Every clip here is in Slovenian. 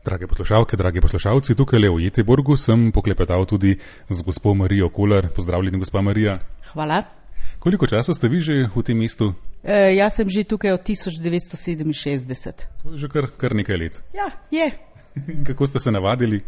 Drage poslušalke, dragi poslušalci, tukaj v Göteborgu sem poklepetal tudi z gospo Marijo Kolar. Pozdravljeni, gospa Marija. Hvala. Koliko časa ste vi že v tem mestu? Jaz sem že tukaj od 1967. To je že kar nekaj let. Ja, je. Kako ste se navadili?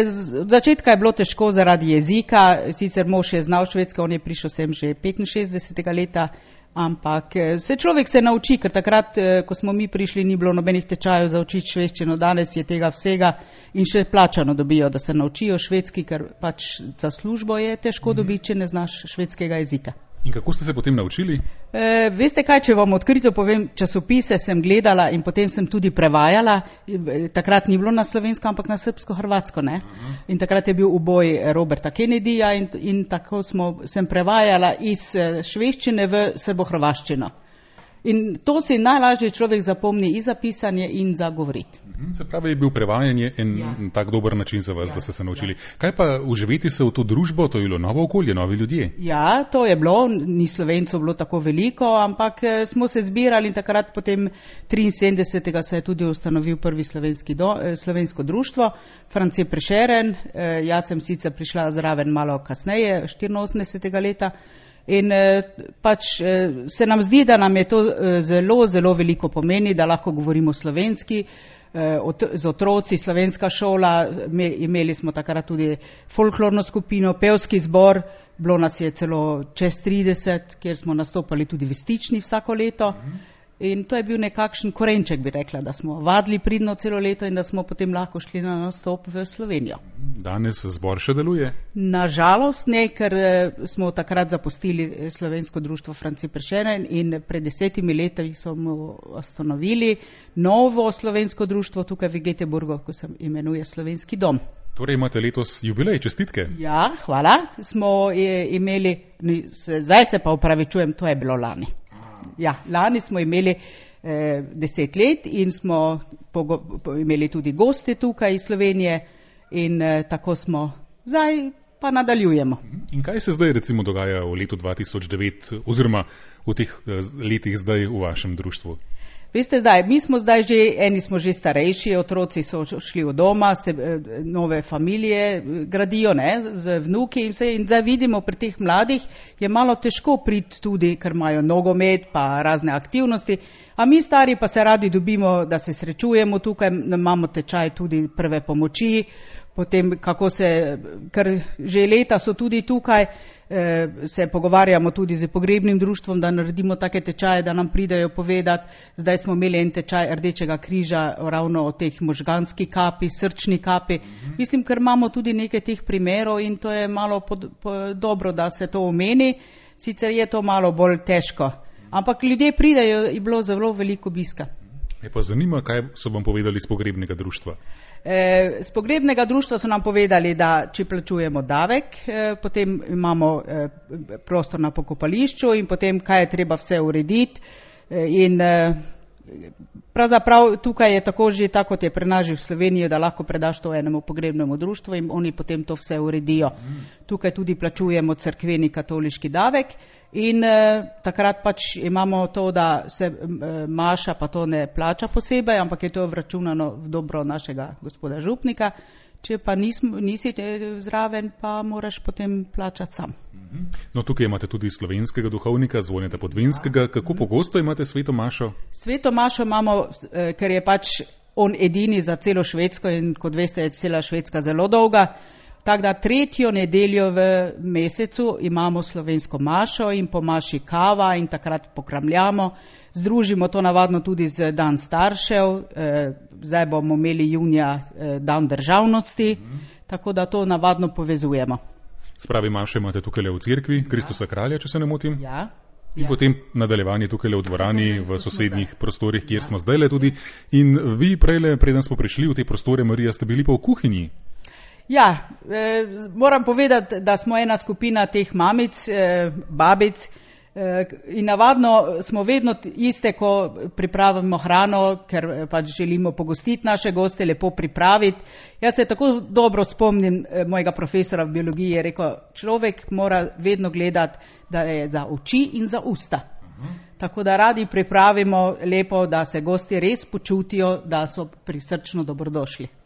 Z začetka je bilo težko zaradi jezika, sicer mož je znal švedsko, on je prišel sem že 65. leta, ampak se človek se nauči, ker takrat, ko smo mi prišli, ni bilo nobenih tečajev za učiti švedščino, danes je tega vsega in še plačano dobijo, da se naučijo švedski, ker pač za službo je težko dobiti, če ne znaš švedskega jezika. In kako ste se potem naučili? Veste kaj, če vam odkrito povem, časopise sem gledala in potem sem tudi prevajala. Takrat ni bilo na slovensko, ampak na srbsko-hrvatsko, ne? In takrat je bil uboj Roberta Kennedyja in tako sem prevajala iz švedščine v srbo-hrvaščino. In to si najlažje človek zapomni in za pisanje in za govoriti. Se pravi, je bil prevajanje tak dober način za vas, da ste se naučili. Kaj pa uživeti se v to družbo, to je bilo novo okolje, novi ljudje? Ja, to je bilo, ni Slovencov bilo tako veliko, ampak smo se zbirali in takrat potem 73. se je tudi ustanovil prvi slovensko društvo, France Prešeren, jaz sem sicer prišla zraven malo kasneje, 84. leta. In pač se nam zdi, da nam je to zelo, zelo veliko pomeni, da lahko govorimo slovenski, z otroci, slovenska šola, imeli smo takrat tudi folklorno skupino, pevski zbor, bilo nas je celo čez 30, kjer smo nastopali tudi v Stični vsako leto. In to je bil nekakšen korenček, bi rekla, da smo vadili pridno celo leto in da smo potem lahko šli na nastop v Slovenijo. Danes zbor še deluje? Nažalost ne, ker smo takrat zapustili slovensko društvo France Prešeren in pred 10 leti smo ustanovili novo slovensko društvo tukaj v Göteborgu, ko se imenuje Slovenski dom. Torej imate letos jubilej, čestitke. Ja, hvala. Smo imeli, zdaj se pa opravičujem, to je bilo lani. Ja, lani smo imeli 10 let in smo imeli tudi goste tukaj iz Slovenije in tako smo zdaj pa nadaljujemo. In kaj se zdaj recimo dogaja v letu 2009 oziroma v teh letih zdaj v vašem društvu? Veste, eni smo že starejši, otroci so šli v doma, nove familije gradijo, ne, z vnuki in vse. In zdaj vidimo pri teh mladih je malo težko priti tudi, ker imajo nogomet pa razne aktivnosti, a mi stari pa se radi dobimo, da se srečujemo tukaj, imamo tečaj tudi prve pomoči, potem ker že leta so tudi tukaj, se pogovarjamo tudi z pogrebnim društvom, da naredimo take tečaje, da nam pridejo povedati. Zdaj smo imeli en tečaj Rdečega križa ravno o teh možganski kapi, srčni kapi. Mislim, ker imamo tudi nekaj teh primerov in to je malo dobro, da se to omeni, sicer je to malo bolj težko. Ampak ljudje pridejo, je bilo zelo veliko obiska. Me pa zanima, kaj so vam povedali z pogrebnega društva? Z pogrebnega društva so nam povedali, da če plačujemo davek, potem imamo prostor na pokopališču in potem kaj je treba vse urediti. In pravzaprav tukaj je tako že, tako kot je pri nas že v Sloveniji, da lahko predaš to enemu pogrebnemu društvu in oni potem to vse uredijo. Tukaj tudi plačujemo cerkveni katoliški davek in takrat pač imamo to, da se maša pa to ne plača posebej, ampak je to vračunano v dobro našega gospoda župnika. Če pa nisi zraven, pa moraš potem plačati sam. No, tukaj imate tudi slovenskega duhovnika, Zvoneta Podvinskega. Kako pogosto imate sveto mašo? Sveto mašo imamo, ker je pač on edini za celo Švedsko in kot veste, je cela Švedska zelo dolga. Tako da 3. nedeljo v mesecu imamo slovensko mašo in po maši kava in takrat pokramljamo. Združimo to navadno tudi z dan staršev, zdaj bomo imeli junija dan državnosti, tako da to navadno povezujemo. Spravi mašo imate tukaj v cerkvi, Kristusa kralja, če se ne motim? Ja. In potem nadaljevanje tukaj v dvorani, v sosednjih prostorih, kjer smo zdaj tudi. In vi preden smo prišli v te prostore, Marija, ste bili pa v kuhinji. Ja, moram povedati, da smo ena skupina teh mamic, babic in navadno smo vedno iste, ko pripravimo hrano, ker pač želimo pogostiti naše goste, lepo pripraviti. Jaz se tako dobro spomnim mojega profesora v biologiji, je rekel, človek mora vedno gledati, da je za oči in za usta. Tako da radi pripravimo lepo, da se gosti res počutijo, da so prisrčno dobrodošli.